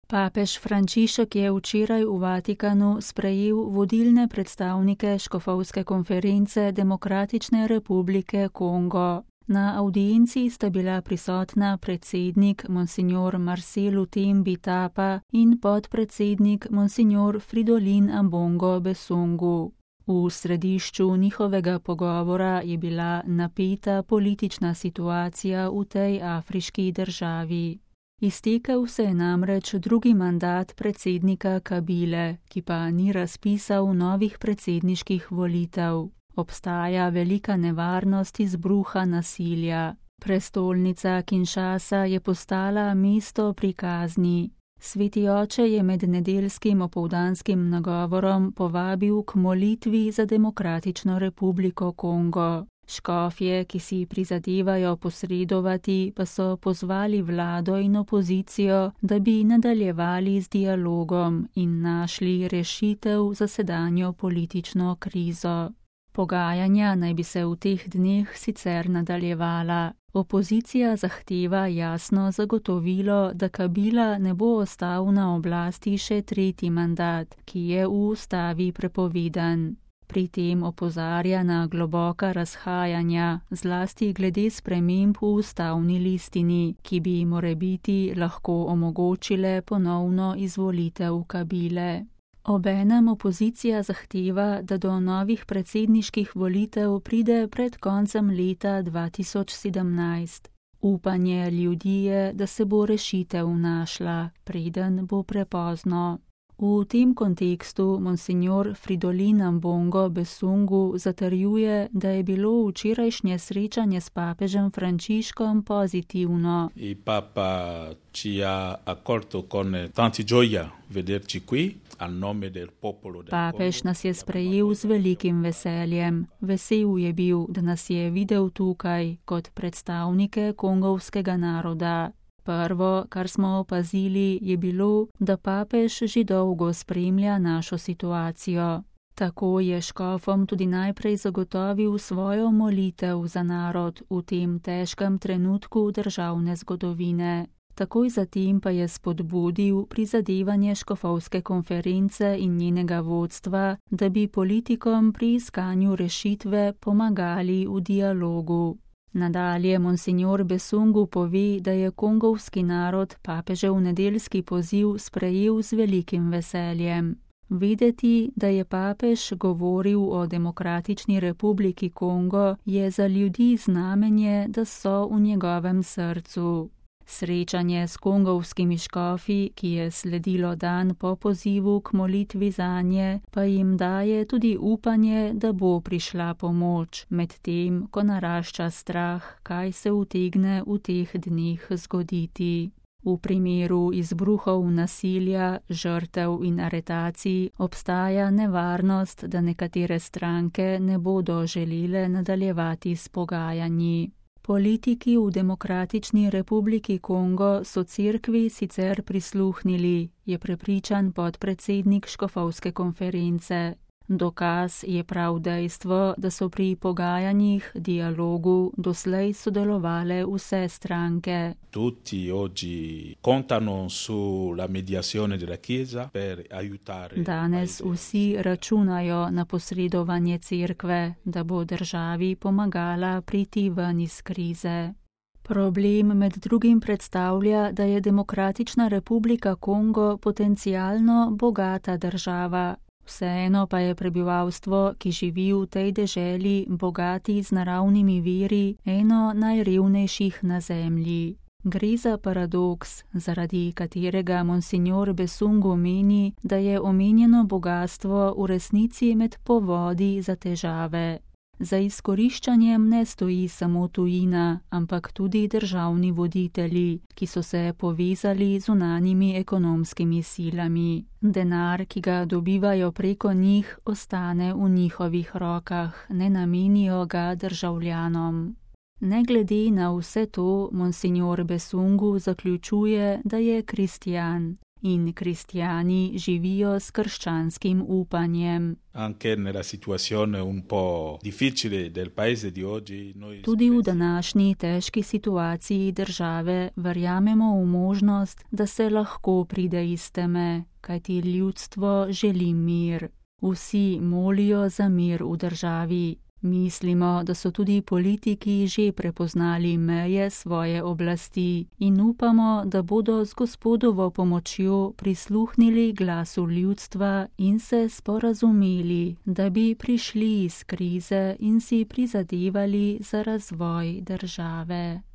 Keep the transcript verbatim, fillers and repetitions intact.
Papež Frančišek je včeraj v Vatikanu sprejel vodilne predstavnike škofovske konference Demokratične republike Kongo. Na avdienci sta bila prisotna predsednik monsignor Marcel Lutembi Tapa in podpredsednik monsignor Fridolin Ambongo Besungu. V središču njihovega pogovora je bila napeta politična situacija v tej afriški državi. Iztekel se je namreč drugi mandat predsednika Kabile, ki pa ni razpisal novih predsedniških volitev. Obstaja velika nevarnost izbruha nasilja. Prestolnica Kinshasa je postala mesto pri kazni. Sveti oče je med nedeljskim opoldanskim nagovorom povabil k molitvi za Demokratično republiko Kongo. Škofje, ki si prizadevajo posredovati, pa so pozvali vlado in opozicijo, da bi nadaljevali z dialogom in našli rešitev za sedanjo politično krizo. Pogajanja naj bi se v teh dneh sicer nadaljevala. Opozicija zahteva jasno zagotovilo, da Kabila ne bo ostal na oblasti še tretji mandat, ki je v ustavi prepovedan. Pri tem opozarja na globoka razhajanja, zlasti glede sprememb v ustavni listini, ki bi morebiti lahko omogočile ponovno izvolitev Kabile. Obenem opozicija zahteva, da do novih predsedniških volitev pride pred koncem leta dva tisoč sedemnajst. Upanje ljudi je, da se bo rešitev našla, preden bo prepozno. V tem kontekstu monsignor Fridolin Ambongo Besungu zatrjuje, da je bilo včerajšnje srečanje s papežem Frančiškom pozitivno. Il Papa ci ha accolto con tanta gioia vederci qui a nome del popolo del Congo. Papež nas je sprejel z velikim veseljem. Vesel je bil, da nas je videl tukaj kot predstavnike kongovskega naroda. Prvo, kar smo opazili, je bilo, da papež že dolgo spremlja našo situacijo. Tako je škofom tudi najprej zagotovil svojo molitev za narod v tem težkem trenutku državne zgodovine. Takoj zatem pa je spodbudil prizadevanje škofovske konference in njenega vodstva, da bi politikom pri iskanju rešitve pomagali v dialogu. Nadalje monsignor Besungu pove, da je kongovski narod papežev nedeljski poziv sprejel z velikim veseljem. Videti, da je papež govoril o Demokratični republiki Kongo, je za ljudi znamenje, da so v njegovem srcu. Srečanje s kongovskimi škofi, ki je sledilo dan po pozivu k molitvi zanje, pa jim daje tudi upanje, da bo prišla pomoč, medtem ko narašča strah, kaj se utegne v teh dneh zgoditi. V primeru izbruhov nasilja, žrtev in aretacij obstaja nevarnost, da nekatere stranke ne bodo želele nadaljevati s pogajanji. Politiki v Demokratični republiki Kongo so cerkvi sicer prisluhnili, je prepričan podpredsednik škofovske konference. Dokaz je prav dejstvo, da so pri pogajanjih, dialogu doslej sodelovale vse stranke. Tutti oggi contano sulla mediazione della Chiesa per aiutare. Danes vsi računajo na posredovanje cerkve, da bo državi pomagala priti ven iz krize. Problem med drugim predstavlja, da je Demokratična republika Kongo potencialno bogata država. Vseeno pa je prebivalstvo, ki živi v tej deželi, bogati z naravnimi viri, eno najrevnejših na zemlji. Gre za paradoks, zaradi katerega monsignor Besungu meni, da je omenjeno bogatstvo v resnici med povodi za težave. Za izkoriščanjem ne stoji samo tujina, ampak tudi državni voditelji, ki so se povezali z zunanjimi ekonomskimi silami. Denar, ki ga dobivajo preko njih, ostane v njihovih rokah, ne namenijo ga državljanom. Ne glede na vse to, monsignor Besungu zaključuje, da je kristjan. in kristjani živijo s krščanskim upanjem. Anche nella situazione un po' difficile del paese di oggi, noi Tudi v današnji težki situaciji države verjamemo v možnost, da se lahko pride iz teme, kajti ljudstvo želi mir. Vsi molijo za mir v državi. Mislimo, da so tudi politiki že prepoznali meje svoje oblasti in upamo, da bodo z Gospodovo pomočjo prisluhnili glasu ljudstva in se sporazumeli, da bi prišli iz krize in si prizadevali za razvoj države.